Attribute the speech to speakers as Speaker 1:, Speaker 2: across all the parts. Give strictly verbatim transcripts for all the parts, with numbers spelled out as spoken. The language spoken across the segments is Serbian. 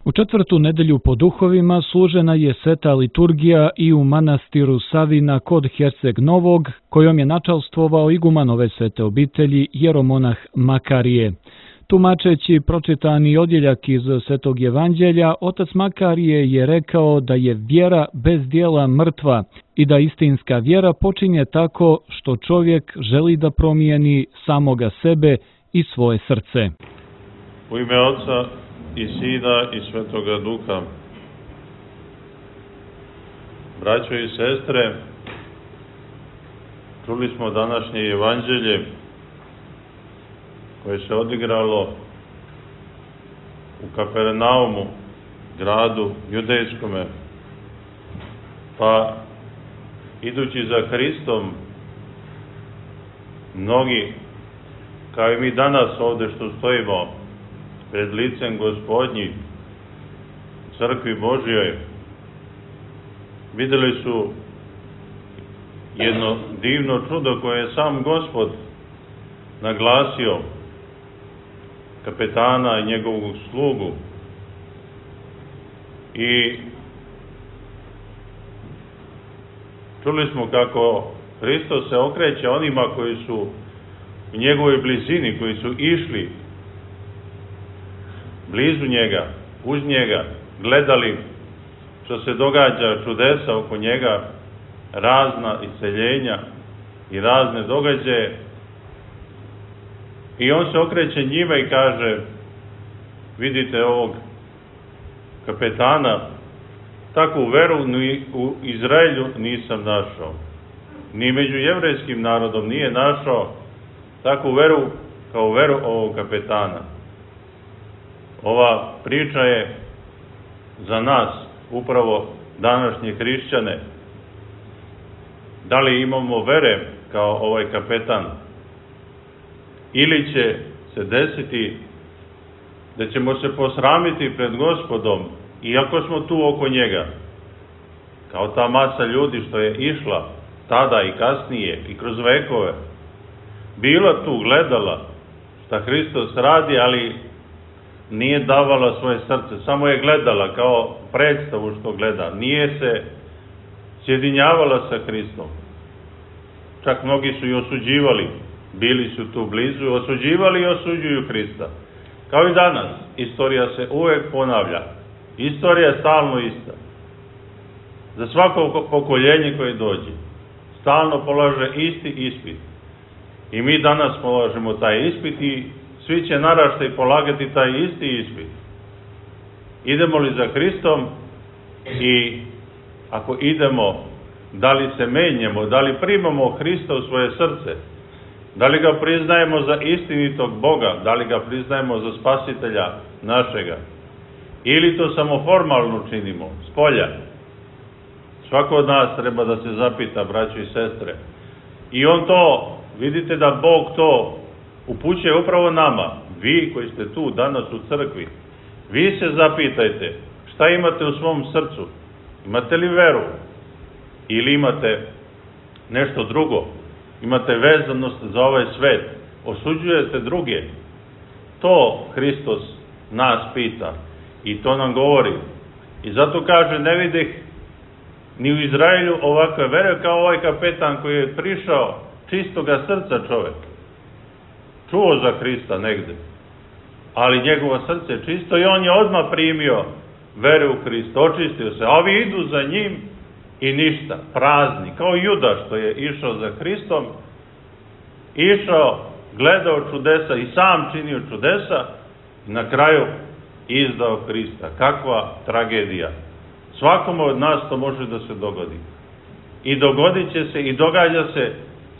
Speaker 1: U četvrtu nedelju po duhovima služena je sveta liturgija i u manastiru Savina kod Herceg Novog, kojom je načalstvovao iguman ove svete obitelji jeromonah Makarije. Tumačeći pročitani odjeljak iz Svetog evanđelja, otac Makarije je rekao da je vjera bez dijela mrtva i da istinska vjera počinje tako što čovjek želi da promijeni samoga sebe i svoje srce.
Speaker 2: U ime Oca i Sina i Svetoga Duha. Braćo i sestre, čuli smo današnje evanđelje koje se odigralo u Kapernaumu, gradu judejskome, pa idući za Hristom, mnogi, kao i mi danas ovde što stojimo pred licem Gospodnji, crkvi Božjoj, videli su jedno divno čudo koje je sam Gospod naglasio, kapetana i njegovog slugu. I čuli smo kako Hristos se okreće onima koji su u njegovoj blizini, koji su išli blizu njega, uz njega, gledali što se događa, čudesa oko njega, razna isceljenja i razne događaje. I on se okreće njima i kaže: vidite ovog kapetana, takvu veru ni u Izraelju nisam našao, ni među jevrejskim narodom nije našao takvu veru kao veru ovog kapetana. Ova priča je za nas, upravo današnje hrišćane. Da li imamo vere kao ovaj kapetan? Ili će se desiti da ćemo se posramiti pred Gospodom, iako smo tu oko njega, kao ta masa ljudi što je išla tada i kasnije i kroz vekove, bila tu, gledala šta Hristos radi, ali nije davala svoje srce, samo je gledala kao predstavu što gleda, nije se sjedinjavala sa Hristom. Čak mnogi su i osuđivali, bili su tu blizu, osuđivali i osuđuju Hrista. Kao i danas, istorija se uvek ponavlja, istorija je stalno ista. Za svako pokoljenje koje dođe, stalno polaže isti ispit. I mi danas polažemo taj ispit i svi će naraštaj polagati taj isti ispit. Idemo li za Hristom i ako idemo, da li se menjamo, da li primamo Hrista u svoje srce, da li ga priznajemo za istinitog Boga, da li ga priznajemo za spasitelja našega, ili to samo formalno činimo, s polja. Svako od nas treba da se zapita, braćo i sestre. I on to, vidite da Bog to upućuje upravo nama, vi koji ste tu danas u crkvi, vi se zapitajte šta imate u svom srcu, imate li veru ili imate nešto drugo, imate vezanost za ovaj svet, osuđujete druge. To Hristos nas pita i to nam govori. I zato kaže: ne vidih ni u Izraelju ovakve vere kao ovaj kapetan koji je prišao čistoga srca čovek. Čuo za Hrista negde, ali njegovo srce je čisto i on je odmah primio veru u Hrista, očistio se, a ovi idu za njim i ništa, prazni, kao Juda što je išao za Hristom, išao, gledao čudesa i sam činio čudesa i na kraju izdao Hrista. Kakva tragedija! Svakome od nas to može da se dogodi. I dogodit će se i događa se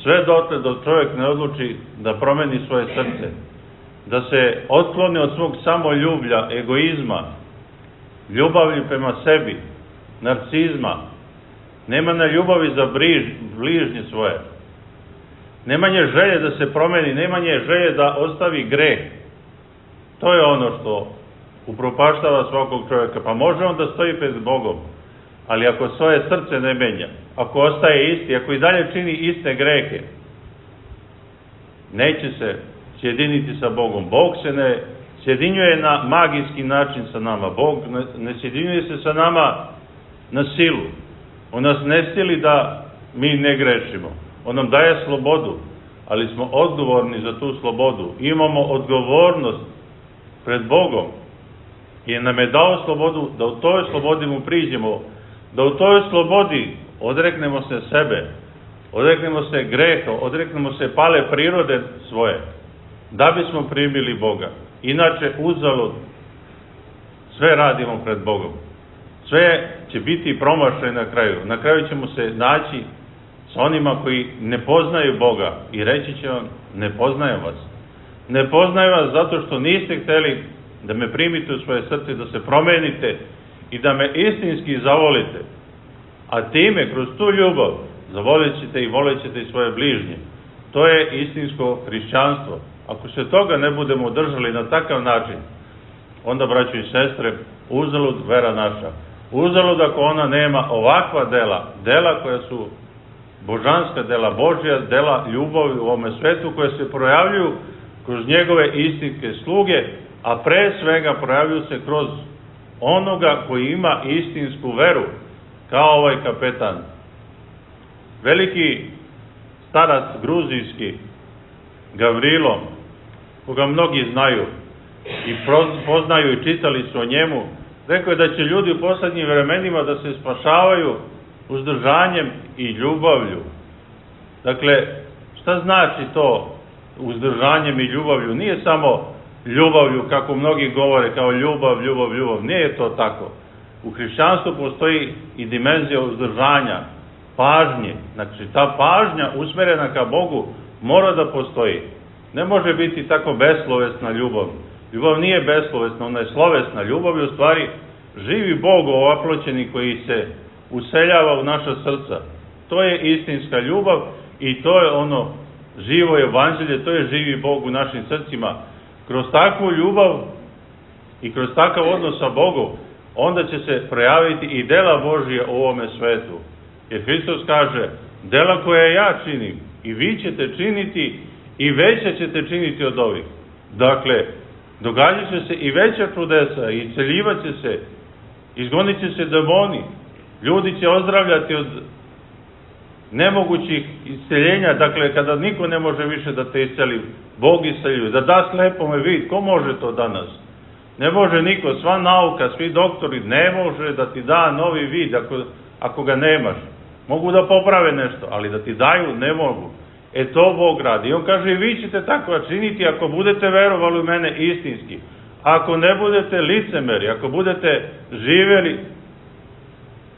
Speaker 2: sve dotle dok čovjek ne odluči da promeni svoje srce, da se otkloni od svog samoljublja, egoizma, ljubavlji prema sebi, narcizma, nemanja ljubavi za briž, bližnje svoje, nemanje želje da se promeni, nemanje želje da ostavi greh. To je ono što upropaštava svakog čovjeka. Pa može on da stoji pred Bogom, ali ako svoje srce ne menja, ako ostaje isti, ako i dalje čini iste grehe, neće se sjediniti sa Bogom. Bog se ne sjedinjuje na magijski način sa nama. Bog ne sjedinjuje se sa nama na silu. On nas ne sili da mi ne grešimo. On nam daje slobodu, ali smo odgovorni za tu slobodu. Imamo odgovornost pred Bogom. I nam je dao slobodu da u toj slobodi mu priđemo, da u toj slobodi odreknemo se sebe, odreknemo se greha, odreknemo se pale prirode svoje, da bismo primili Boga. Inače, uzalud, sve radimo pred Bogom. Sve će biti promašaj na kraju. Na kraju ćemo se naći sa onima koji ne poznaju Boga i reći će vam, ne poznajem vas. Ne poznajem vas zato što niste hteli da me primite u svoje srce, da se promenite i da me istinski zavolite. A time, kroz tu ljubav, zavolit ćete i volit ćete i svoje bližnje. To je istinsko hrišćanstvo. Ako se toga ne budemo držali na takav način, onda, braćo i sestre, uzalud vera naša. Uzalud ako ona nema ovakva dela, dela koja su božanska dela, Božja dela ljubavi u ovome svetu, koje se projavljuju kroz njegove istinske sluge, a pre svega projavljuju se kroz onoga koji ima istinsku veru, kao ovaj kapetan. Veliki starac gruzijski, Gavrilo, koga mnogi znaju i poznaju i čitali su o njemu, rekao je da će ljudi u poslednjim vremenima da se spašavaju uzdržanjem i ljubavlju. Dakle, šta znači to uzdržanjem i ljubavlju? Nije samo ljubavlju, kako mnogi govore, kao ljubav, ljubav, ljubav. Nije to tako. U hrišćanstvu postoji i dimenzija uzdržanja, pažnje. Znači, ta pažnja usmerena ka Bogu mora da postoji. Ne može biti tako beslovesna ljubav. Ljubav nije beslovesna, ona je slovesna. Ljubav je u stvari živi Bog ovaploćeni koji se useljava u naša srca. To je istinska ljubav i to je ono živo evanđelje, to je živi Bog u našim srcima. Kroz takvu ljubav i kroz takav odnos sa Bogom, onda će se projaviti i dela Božija u ovome svetu. Jer Hristos kaže, dela koje ja činim, i vi ćete činiti, i veća ćete činiti od ovih. Dakle, događat će se i veća čudesa, i isceljivat će se, izgonit će se demoni, ljudi će ozdravljati od nemogućih isceljenja, dakle, kada niko ne može više da te isceli, Bog isceljuje, da da slepome vid, ko može to danas? Ne može niko, sva nauka, svi doktori, ne može da ti da novi vid ako, ako ga nemaš. Mogu da poprave nešto, ali da ti daju, ne mogu. E to Bog radi. I on kaže, i vi ćete tako činiti ako budete verovali u mene istinski. Ako ne budete licemeri, ako budete živjeli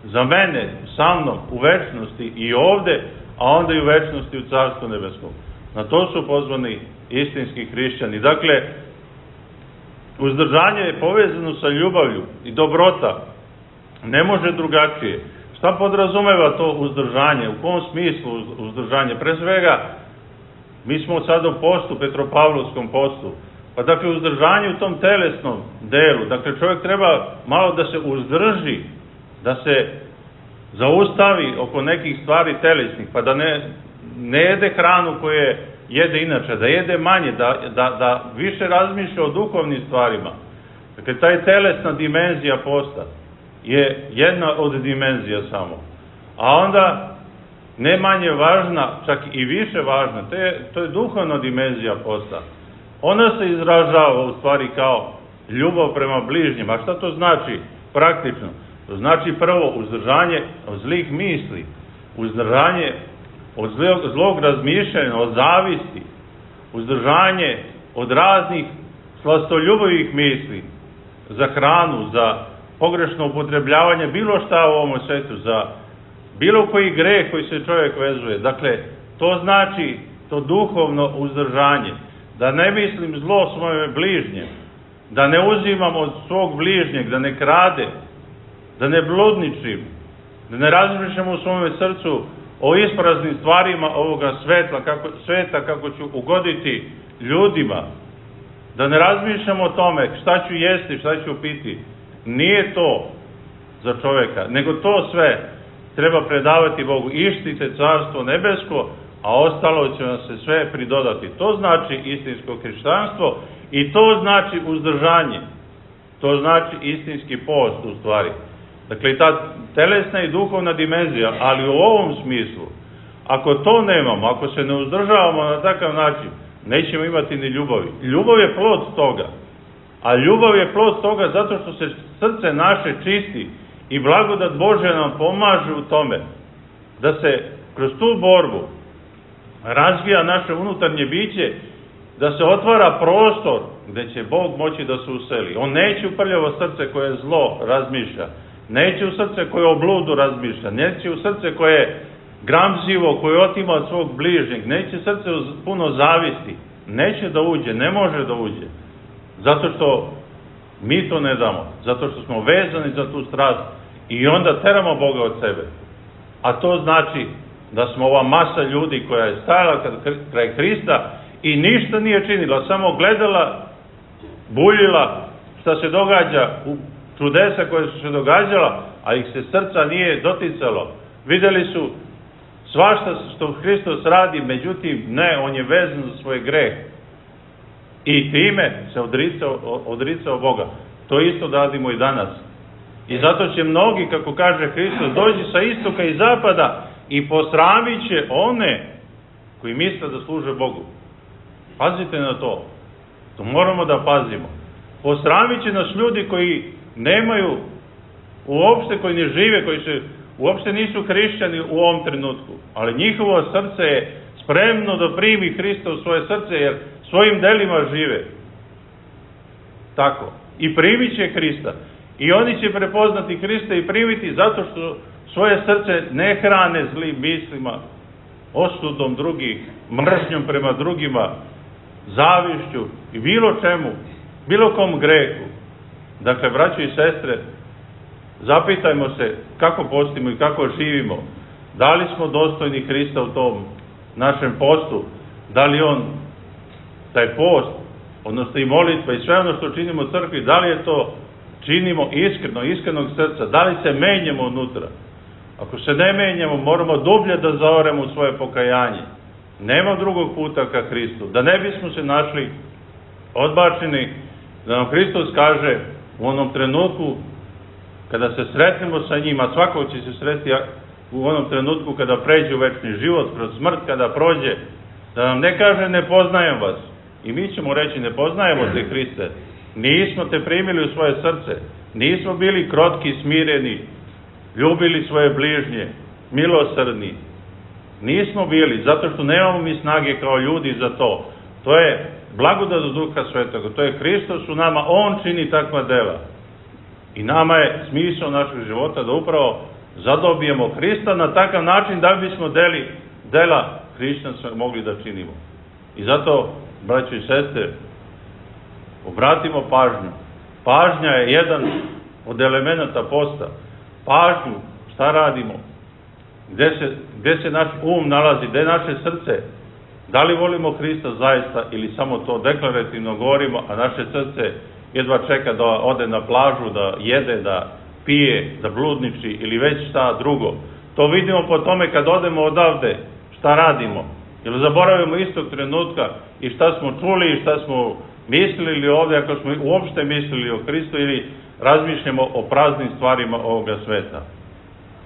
Speaker 2: za mene, sa mnom, u večnosti i ovde, a onda i u večnosti u Carstvu nebeskom. Na to su pozvani istinski hrišćani. Dakle, uzdržanje je povezano sa ljubavlju i dobrota. Ne može drugačije. Šta podrazumeva to uzdržanje? U kom smislu uzdržanje? Pre svega, mi smo sad u postu, Petropavlovskom postu. Pa dakle, uzdržanje u tom telesnom delu. Dakle, čovjek treba malo da se uzdrži, da se zaustavi oko nekih stvari telesnih, pa da ne, ne jede hranu koje jede inače, da jede manje, da, da, da više razmišlja o duhovnim stvarima. Dakle, taj telesna dimenzija posta je jedna od dimenzija samo. A onda, ne manje važna, čak i više važna, to je, to je duhovna dimenzija posta. Ona se izražava u stvari kao ljubav prema bližnjima. A šta to znači praktično? To znači prvo uzdržanje od zlih misli, uzdržanje od zlog, zlog razmišljanja, od zavisti, uzdržanje od raznih slastoljubovih misli, za hranu, za pogrešno upotrebljavanje bilo šta u ovom svetu, za bilo koji greh koji se čovjek vezuje. Dakle, to znači to duhovno uzdržanje, da ne mislim zlo svome bližnjem, da ne uzimam od svog bližnjeg, da ne krade, da ne bludničim, da ne razmišljam u svome srcu o ispraznim stvarima ovoga svetla, kako, sveta, kako ću ugoditi ljudima, da ne razmišljam o tome šta ću jesti, šta ću piti. Nije to za čovjeka, nego to sve treba predavati Bogu. Ištite carstvo nebesko a ostalo će vam se sve pridodati. To znači istinsko hrišćanstvo i to znači uzdržanje. To znači istinski post u stvari. Dakle, ta telesna i duhovna dimenzija, ali u ovom smislu, ako to nemamo, ako se ne uzdržavamo na takav način, nećemo imati ni ljubavi. Ljubav je plod toga. A ljubav je plod toga zato što se srce naše čisti i blagodat Božja nam pomaže u tome da se kroz tu borbu razvija naše unutarnje biće, da se otvara prostor gde će Bog moći da se useli. On neće u prljavo srce koje zlo razmišlja, neće u srce koje o bludu razmišlja, neće u srce koje je gramzivo, koje otima od svog bližnjeg, neće srce puno zavisti, neće da uđe, ne može da uđe. Zato što mi to ne damo, zato što smo vezani za tu strast i onda teramo Boga od sebe. A to znači da smo ova masa ljudi koja je stajala kraj Hrista i ništa nije činila, samo gledala, buljila šta se događa, u čudesa koje su se događala, a ih se srca nije doticalo. Videli su svašta što Hristos radi, međutim ne, on je vezan za svoj greh. I time se odricao, odricao Boga. To isto da radimo i danas. I zato će mnogi, kako kaže Hristos, doći sa istoka i zapada i posramit će one koji misle da služe Bogu. Pazite na to. To moramo da pazimo. Posramit će nas ljudi koji nemaju, uopšte koji ne žive, koji se uopšte nisu hrišćani u ovom trenutku. Ali njihovo srce je spremno da primi Hrista u svoje srce, jer svojim delima žive. Tako. I primit će Hrista. I oni će prepoznati Hrista i primiti zato što svoje srce ne hrane zlim mislima, osudom drugih, mržnjom prema drugima, zavišću i bilo čemu, bilo kom grehu. Dakle, braćo i sestre, zapitajmo se kako postimo i kako živimo. Da li smo dostojni Hrista u tom našem postu? Da li on, taj post, odnosno i molitva i sve ono što činimo u crkvi, da li je to činimo iskreno, iskrenog srca, da li se menjamo unutra? Ako se ne menjamo, moramo dublje da zaoremo u svoje pokajanje. Nema drugog puta ka Hristu. Da ne bismo se našli odbačeni, da nam Hristos kaže u onom trenutku kada se sretnemo sa njim, a svako će se sreti u onom trenutku kada pređe u večni život, kroz smrt kada prođe, da nam ne kaže ne poznajem vas. I mi ćemo reći ne poznajemo te Hriste. Nismo te primili u svoje srce. Nismo bili krotki, smireni, ljubili svoje bližnje, milosrdni. Nismo bili, zato što nemamo mi snage kao ljudi za to. To je blagodat od Duha Svetoga. To je Hristos u nama, On čini takva dela. I nama je smisao našeg života da upravo zadobijemo Hrista na takav način da bismo deli, dela hrišćanstva mogli da činimo. I zato, braćo i sestre, obratimo pažnju. Pažnja je jedan od elemenata posta. Pažnju, šta radimo? Gde se, gde se naš um nalazi? Gde je naše srce? Da li volimo Hrista zaista ili samo to deklarativno govorimo, a naše srce jedva čeka da ode na plažu, da jede, da pije, da bludniči ili već šta drugo. To vidimo po tome kad odemo odavde, šta radimo. Jer zaboravimo istog trenutka i šta smo čuli i šta smo mislili ovde, ako smo uopšte mislili o Hristu ili razmišljamo o praznim stvarima ovoga sveta.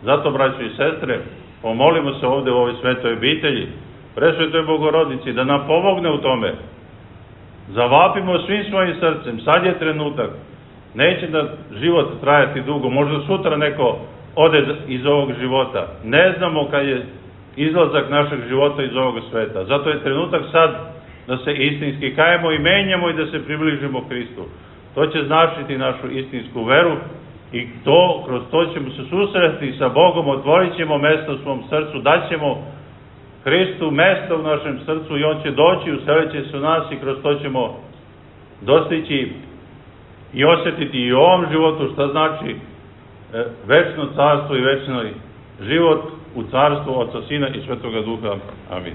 Speaker 2: Zato, braćo i sestre, pomolimo se ovde u ovoj svetoj obitelji, Presvetoj Bogorodici, da nam pomogne u tome. Zavapimo svim svojim srcem, sad je trenutak, neće da život trajati dugo, možda sutra neko ode iz ovog života. Ne znamo kad je izlazak našeg života iz ovog sveta. Zato je trenutak sad da se istinski kajemo i menjamo i da se približimo Hristu. To će značiti našu istinsku veru i to, kroz to ćemo se susresti sa Bogom, otvorit ćemo mesto u svom srcu, daćemo Hristu mesto u našem srcu i On će doći, uselit će se u nas i kroz to ćemo dostići i osjetiti i u ovom životu šta znači večno carstvo i večni život u carstvu Oca, Sina i Svetoga Duha. Amin.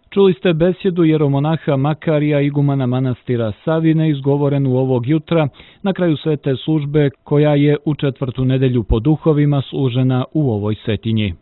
Speaker 1: Čuli ste besjedu jeromonaha Makarija, igumana manastira Savine, izgovorenu ovog jutra na kraju svete službe koja je u četvrtu nedelju po duhovima služena u ovoj svetinji.